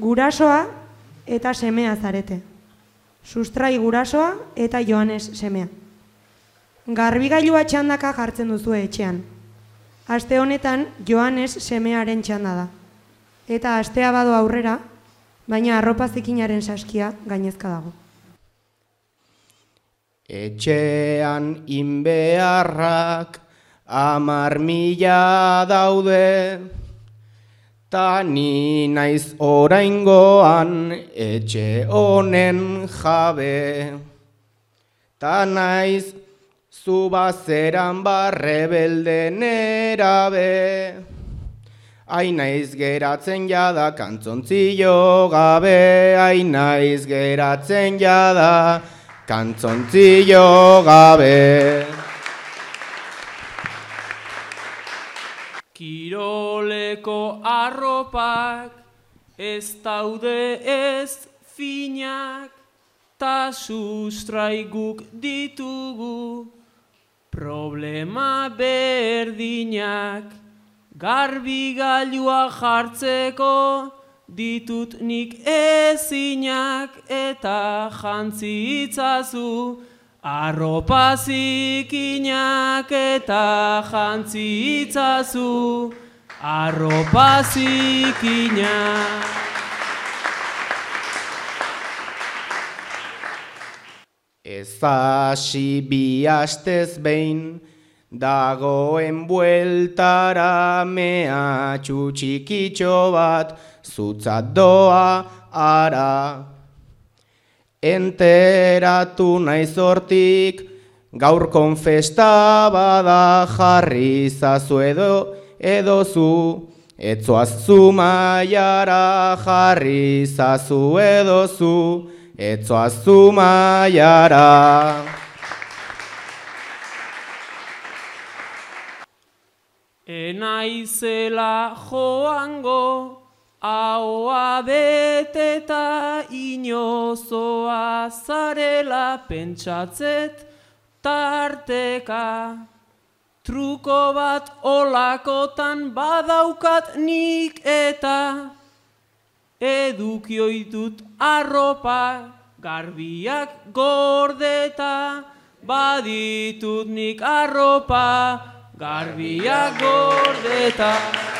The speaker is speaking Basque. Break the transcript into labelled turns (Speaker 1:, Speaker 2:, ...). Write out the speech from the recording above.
Speaker 1: Gurasoa eta semea zarete. Sustrai gurasoa eta Joanes semea. Garbigailua txandaka jartzen duzu etxean. Aste honetan Joanes semearen txanda da. Eta astea bado aurrera, baina arropa zikinaren saskia gainezka dago.
Speaker 2: Etxean inbeharrak 10.000 daude, ta ni naiz oraingoan etxe honen jabe. Ta naiz zu bazeran barrebelde nerabe, ai naiz geratzen jada kantzontzio gabe, ai naiz geratzen jada kantzontzio gabe.
Speaker 3: Kiroleko arropak ez daude ez finak, ta sustrai guk ditugu problema berdinak. Garbigailua jartzeko ditut nik ezinak, eta jantzi itzazu arropa zikinak, eta jantzi itzazu arropa zikinak.
Speaker 2: Ez hasi bi astez behin, dagoen bueltara mehatxu txikitxo bat zutzat doa ara. Enteratu naiz hortik, gaur konfesta bada, jarri zazu edozu, etzoaz Zumaiara, jarri zazu edozu, etzoaz Zumaiara.
Speaker 3: Enaizela joango, ahoa beteta inozoa zarela pentsatzet tarteka. Truko bat olakotan badaukat nik eta edukioitut arropa garbiak gordeta, baditut nik arropa garbiak gordeta.